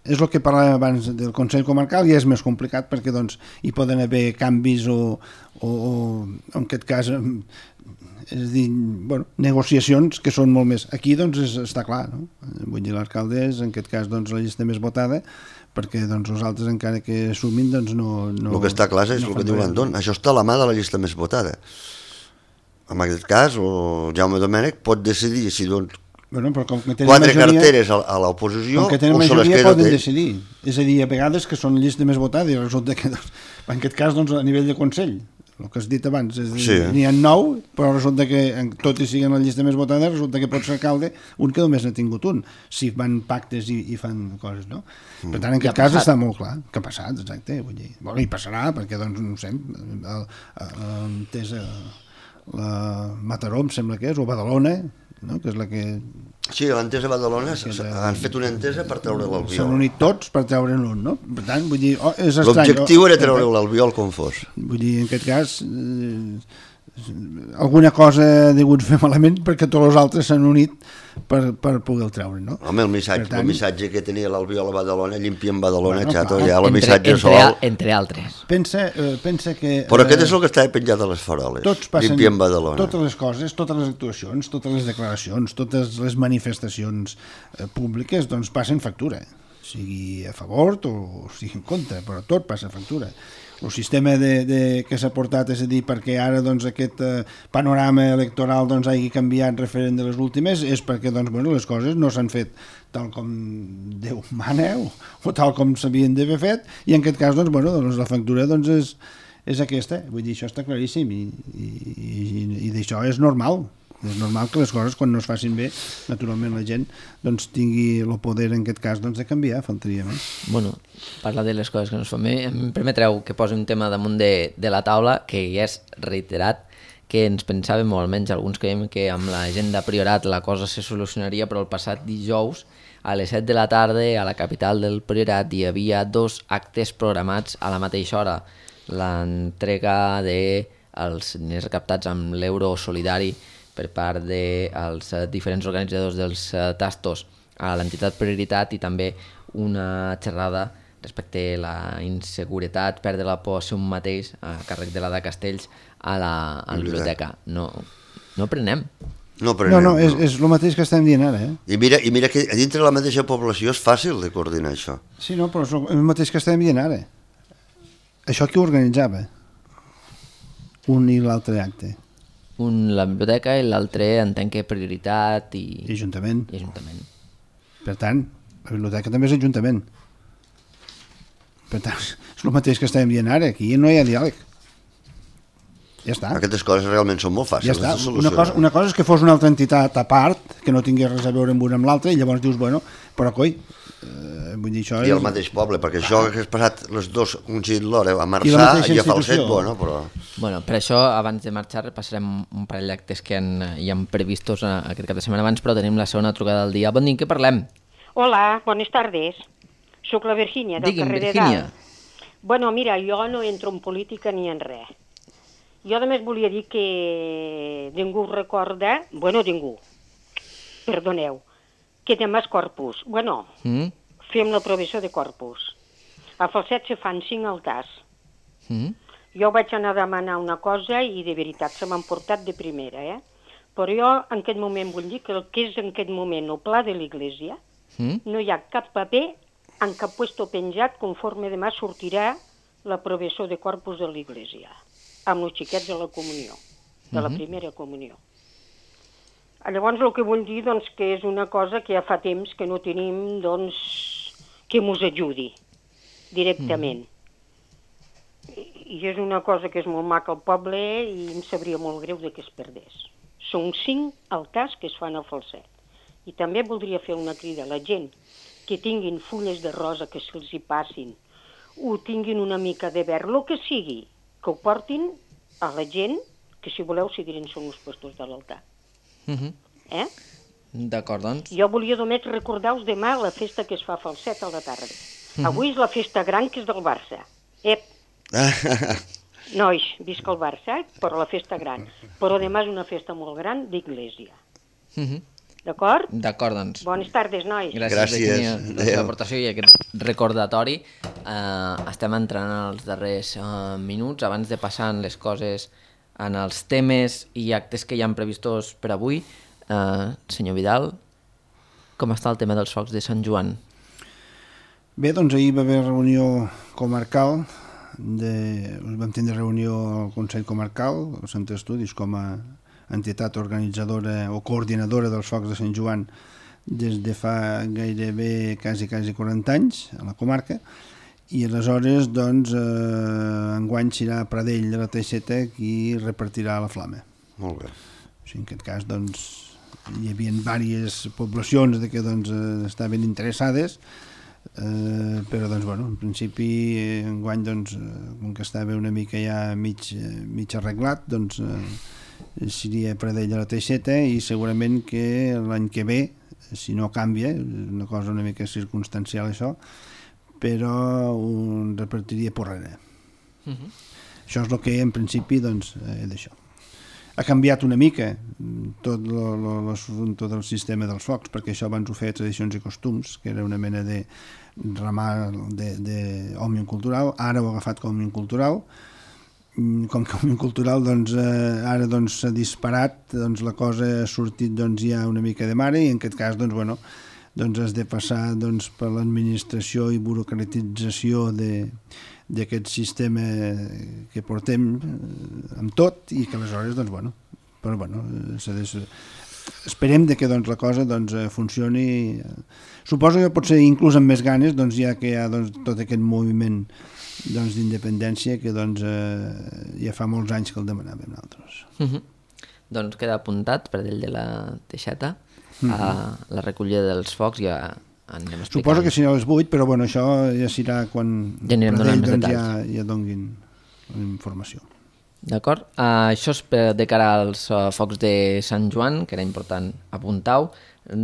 És el que parlàvem abans del Consell Comarcal i és més complicat perquè doncs, hi poden haver canvis o en aquest cas és a dir, negociacions que són molt més... Aquí doncs està clar, no? Vull dir, l'alcalde és en aquest cas doncs, la llista més votada perquè doncs, els altres encara que sumin doncs no... El que està clar és el que diu l'Anton, això està a la mà de la llista més votada. En aquest cas, el Jaume Domènech pot decidir si doncs 4 carteres a l'oposició o se les queda poden decidir. És a dir, a vegades que són llista més votada i resulta que doncs, en aquest cas doncs, a nivell de Consell el que has dit abans, és dir, sí. N'hi ha 9, però resulta que tot i siguin la llista més votada, resulta que pot ser alcalde un que només n'ha tingut un, si fan pactes i fan coses, no? Per tant, en aquest cas està molt clar que ha passat, exacte, vull dir, i passarà, perquè doncs, no sé, la Mataró, em sembla que és, o Badalona, no? Que és la que... Sí, l'entesa a Badalona han fet una entesa per treure l'Albiol. S'han unit tots per treure'n un, no? Per tant, vull dir, és estrany. L'objectiu era treure l'Albiol com fos. Vull dir, en aquest cas, alguna cosa ha degut fer malament perquè tots els altres s'han unit per poder-el treure, no? Home, el missatge que tenia l'Albiol a Badalona, llimpiem Badalona, xato, ja el missatge sol... Entre altres. Pensa que... Però aquest és el que estava penjat a les faroles, llimpiem Badalona. Totes les coses, totes les actuacions, totes les declaracions, totes les manifestacions públiques, doncs passen factura, sigui a favor o sigui en contra, però tot passa factura. El sistema que s'ha portat, és a dir, perquè ara doncs, aquest panorama electoral doncs, hagi canviat referent de les últimes, és perquè doncs, les coses no s'han fet tal com Déu mana o tal com s'havien d'haver fet, i en aquest cas doncs, la factura doncs, és aquesta. Vull dir, això està claríssim i d'això és normal. És normal que les coses, quan no es facin bé, naturalment la gent doncs, tingui el poder, en aquest cas, doncs, de canviar, faltaria més. Bueno, parlar de les coses que no es fan bé, em permetreu que posi un tema damunt de la taula, que ja és reiterat, que ens pensàvem, o almenys alguns creiem, que amb la gent de Priorat la cosa se solucionaria, però el passat dijous, a les 7 de la tarda, a la capital del Priorat, hi havia 2 actes programats a la mateixa hora. L'entrega dels diners recaptats amb l'euro solidari per part dels diferents organitzadors dels tastos a l'entitat Prioritat i també una xerrada respecte a la inseguretat, perdre la por a ser un mateix a càrrec de l'Ada Castells a la biblioteca. No prenem. No, és el mateix que estem dient ara. I mira que a dintre la mateixa població és fàcil de coordinar això. Sí, no, però és el mateix que estem dient ara. Això qui ho organitzava? Un i l'altre acte. Un la biblioteca i l'altre entenc que Prioritat i Ajuntament. Per tant, la biblioteca també és Ajuntament. Per tant, és el mateix que estem dient ara. Aquí no hi ha diàleg. Ja està. Aquestes coses realment són molt fàcils de solucionar. Una cosa és que fos una altra entitat a part, que no tingués res a veure amb una amb l'altra, i llavors dius, bueno, però coi, vull dir, això I el mateix poble, perquè això que has passat les dos coincidint l'hora a Marçà i a Falset, bueno, però... Bueno, per això, abans de marxar, repassarem un parell d'actes que hi han previstos aquest cap de setmana abans, però tenim la segona trucada del dia. Bon dia, què parlem? Hola, buenas tardes. Soc la Virgínia, del carrer de Dalt. Bueno, mira, jo no entro en política ni en res. Jo només volia dir que ningú recorda, bueno, ningú, perdoneu, que demà és Corpus. Bueno, fem l'aprovació de Corpus. A Falset se fan 5 altars. Jo vaig anar a demanar una cosa i de veritat se m'han portat de primera, Però jo en aquest moment vull dir que el que és en aquest moment el pla de l'Església, no hi ha cap paper en cap puesto penjat conforme demà sortirà l'aprovació de Corpus de l'Església, amb els xiquets de la comunió, de la primera comunió. Llavors el que vull dir doncs, que és una cosa que ja fa temps que no tenim doncs, que mos ajudi directament. I és una cosa que és molt maca al poble i em sabria molt greu de que es perdés. Són 5 altars que es fan a Falset. I també voldria fer una crida a la gent que tinguin fulles de rosa que se'ls hi passin, o tinguin una mica de verd, el que sigui, que ho portin a la gent, que si voleu seguirin són els pastors de l'altar. D'acord, doncs. Jo volia només recordar-vos demà la festa que es fa a Falset a la tarda. Avui és la festa gran que és del Barça. Nois, visca el Barça, però la festa gran. Però demà és una festa molt gran d'Església. D'acord? D'acord, doncs. Bones tardes, nois. Gràcies. Per l'aportació i aquest recordatori. Estem entrant als darrers minuts, abans de passar les coses en els temes i actes que hi han previstos per avui. Senyor Vidal, com està el tema dels focs de Sant Joan? Bé, doncs ahir va haver reunió comarcal, vam tindre reunió al Consell Comarcal, al Centre d'Estudis, com a entitat organitzadora o coordinadora dels focs de Sant Joan des de fa gairebé quasi 40 anys a la comarca, i aleshores doncs enguany serà Pradell de la Teixeta qui repartirà la flama. Molt bé. En aquest cas doncs hi havia diverses poblacions que doncs estaven interessades, però doncs bueno, en principi enguany doncs com que estava una mica ja mig arreglat, doncs seria Pradell de la Teixeta, i segurament que l'any que ve, si no canvia, és una cosa una mica circumstancial això, però un repartiria Porrera. Això és el que en principi doncs d'això. Ha canviat una mica tot l'assumpte del sistema dels focs, perquè això abans ho feia Tradicions i Costums, que era una mena de ramar d'Òmnium Cultural, ara ho ha agafat com Òmnium Cultural. Com que Òmnium Cultural doncs, ara doncs, s'ha disparat, doncs, la cosa ha sortit doncs, ja una mica de mare, i en aquest cas doncs, bueno, doncs has de passar doncs, per l'administració i burocratització d'aquest sistema que portem amb tot, i que aleshores doncs, bueno, però, bueno, esperem que doncs, la cosa doncs, funcioni. Suposo que potser inclús amb més ganes, doncs, ja que hi ha doncs, tot aquest moviment doncs, d'independència que doncs, ja fa molts anys que el demanàvem nosaltres. Doncs queda apuntat per dalt de la teixeta a la recollida dels focs i anirem explicant. Suposo que serà a les 8, però bueno, això ja serà quan ja anirem donant més detalls. Ja donguin informació. D'acord? Això és de cara als focs de Sant Joan, que era important apuntar-ho.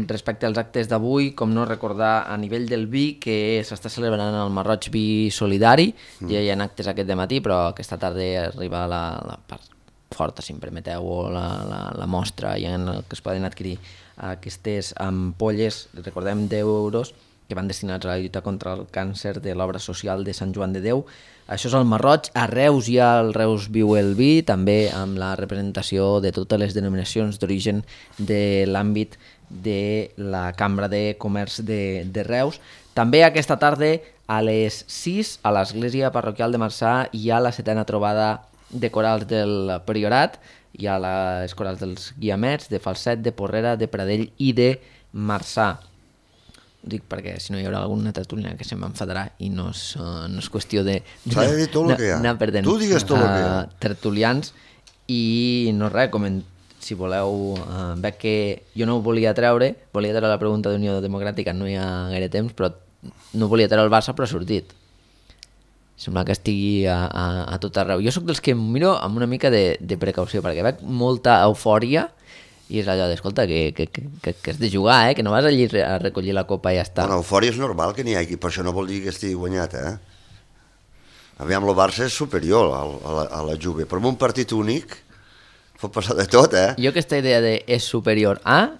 Respecte als actes d'avui, com no recordar a nivell del vi que s'està celebrant el Marroig Vi Solidari. Ja hi ha actes aquest dematí, però aquesta tarda arriba la part forta, si em permeteu, o la mostra en què es poden adquirir aquestes ampolles, recordem, d'€10, que van destinats a la lluita contra el càncer de l'obra social de Sant Joan de Déu. Això és el Marroig. A Reus hi ha el Reus Viu el Vi, també amb la representació de totes les denominacions d'origen de l'àmbit de la Cambra de Comerç de Reus. També aquesta tarda a les 6 a l'Església Parroquial de Marçà hi ha la 7a trobada de corals del Priorat. Hi ha les corals dels Guiamets, de Falset, de Porrera, de Pradell i de Marçà. Dic perquè si no hi haurà alguna tertúlia que se m'enfadarà i no és qüestió de anar perdent tertulians. I no res, si voleu, veig que jo no ho volia treure la pregunta d'Unió Democràtica, no hi ha gaire temps, però no volia treure el Barça, però ha sortit. Sembla que estigui a tot arreu. Jo sóc dels que em miro amb una mica de precaució, perquè veig molta eufòria i és allò d'escolta, que has de jugar, que no vas allí a recollir la copa i ja està. Bueno, eufòria és normal que n'hi hagi, per això no vol dir que estigui guanyat, Aviam, el Barça és superior a la Juve, però en un partit únic pot passar de tot, Jo aquesta idea de és superior a...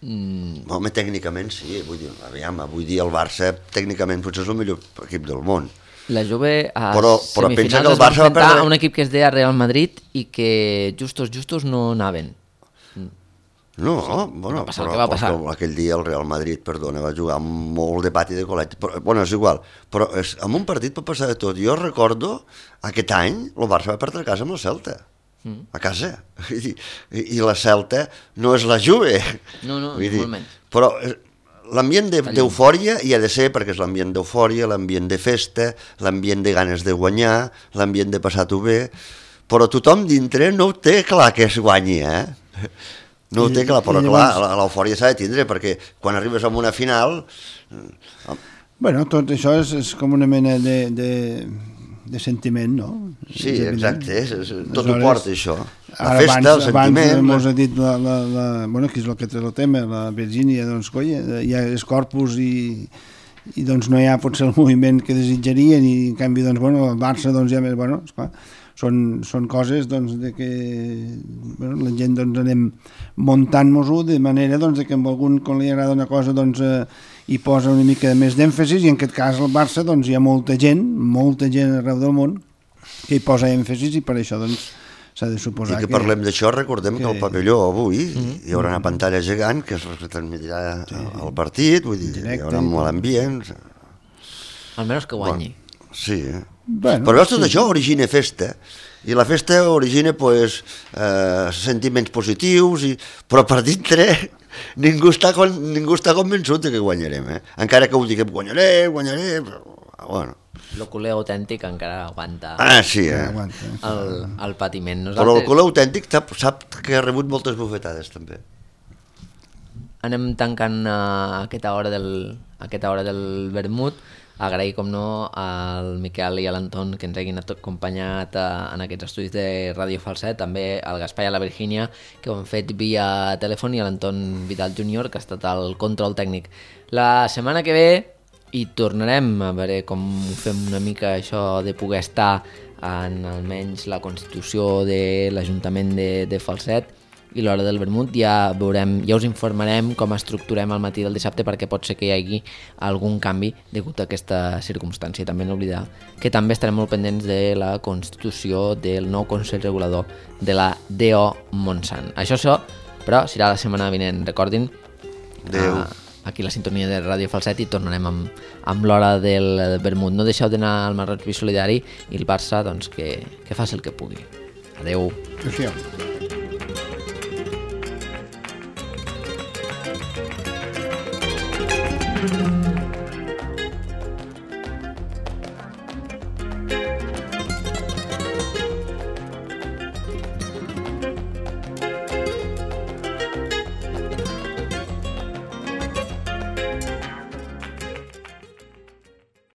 Home, tècnicament sí, vull dir, aviam, avui dia el Barça tècnicament potser és el millor equip del món. La Juve a semifinals es va enfrontar a un equip que es deia Real Madrid i que justos no anaven. No, bueno, però aquell dia el Real Madrid, perdona, va jugar molt de pati de col·legi, però, bueno, és igual, però en un partit pot passar de tot. Jo recordo, aquest any, el Barça va perdre a casa amb el Celta, a casa, i la Celta no és la Juve. No, molt menys. Però l'ambient d'eufòria hi ha de ser, perquè és l'ambient d'eufòria, l'ambient de festa, l'ambient de ganes de guanyar, l'ambient de passar-ho bé, però tothom dintre no ho té clar que es guanyi, No ho té clar, però clar, l'eufòria s'ha de tindre, perquè quan arribes a una final... Bueno, tot això és com una mena de sentiment, no? Sí, exacte, tot ho porta això. La festa, el sentiment... Abans m'ho ha dit, bueno, que és el que té el tema, la Virgínia, doncs, colla, hi ha els corpus i doncs no hi ha potser el moviment que desitjarien i en canvi, doncs, bueno, el Barça, doncs, ja més, bueno, esclar, són coses doncs, de que bueno, la gent doncs, anem muntant-nos-ho de manera doncs, que amb algun quan li agrada una cosa doncs, hi posa una mica més d'èmfasis i en aquest cas al Barça doncs, hi ha molta gent arreu del món que hi posa èmfasis i per això doncs, s'ha de suposar que... I que parlem d'això, recordem que al pavelló avui hi haurà una pantalla gegant que es retransmetrà al partit, vull dir, hi haurà molt ambient... Almenys que guanyi. Bueno, sí, Bueno, però tot això origina festa i la festa origina pues, sentiments positius però per dintre ningú està convençut que guanyarem, encara que ho diguem guanyarem però, bueno. El culer autèntic encara aguanta sí, el patiment. Però el culer autèntic sap que ha rebut moltes bufetades també. Anem tancant aquesta hora del vermut. Agrair, com no, al Miquel i a l'Anton que ens hagin acompanyat en aquests estudis de Ràdio Falset, també al Gaspar i a la Virgínia, que ho han fet via telèfon, i a l'Anton Vidal Júnior, que ha estat el control tècnic. La setmana que ve hi tornarem a veure com fem una mica això de poder estar en almenys la constitució de l'Ajuntament de Falset, i l'hora del vermut ja veurem, ja us informarem com estructurem el matí del dissabte, perquè pot ser que hi hagi algun canvi degut a aquesta circumstància. També no oblidar que també estarem molt pendents de la constitució del nou Consell Regulador de la DO Montsant. Això, però, serà la setmana vinent. Recordin, aquí la sintonia de Ràdio Falset, i tornarem amb l'hora del vermut. No deixeu d'anar al Marroig Vi Solidari, i el Barça doncs, que faci el que pugui. Adeu. Adéu. Thank you.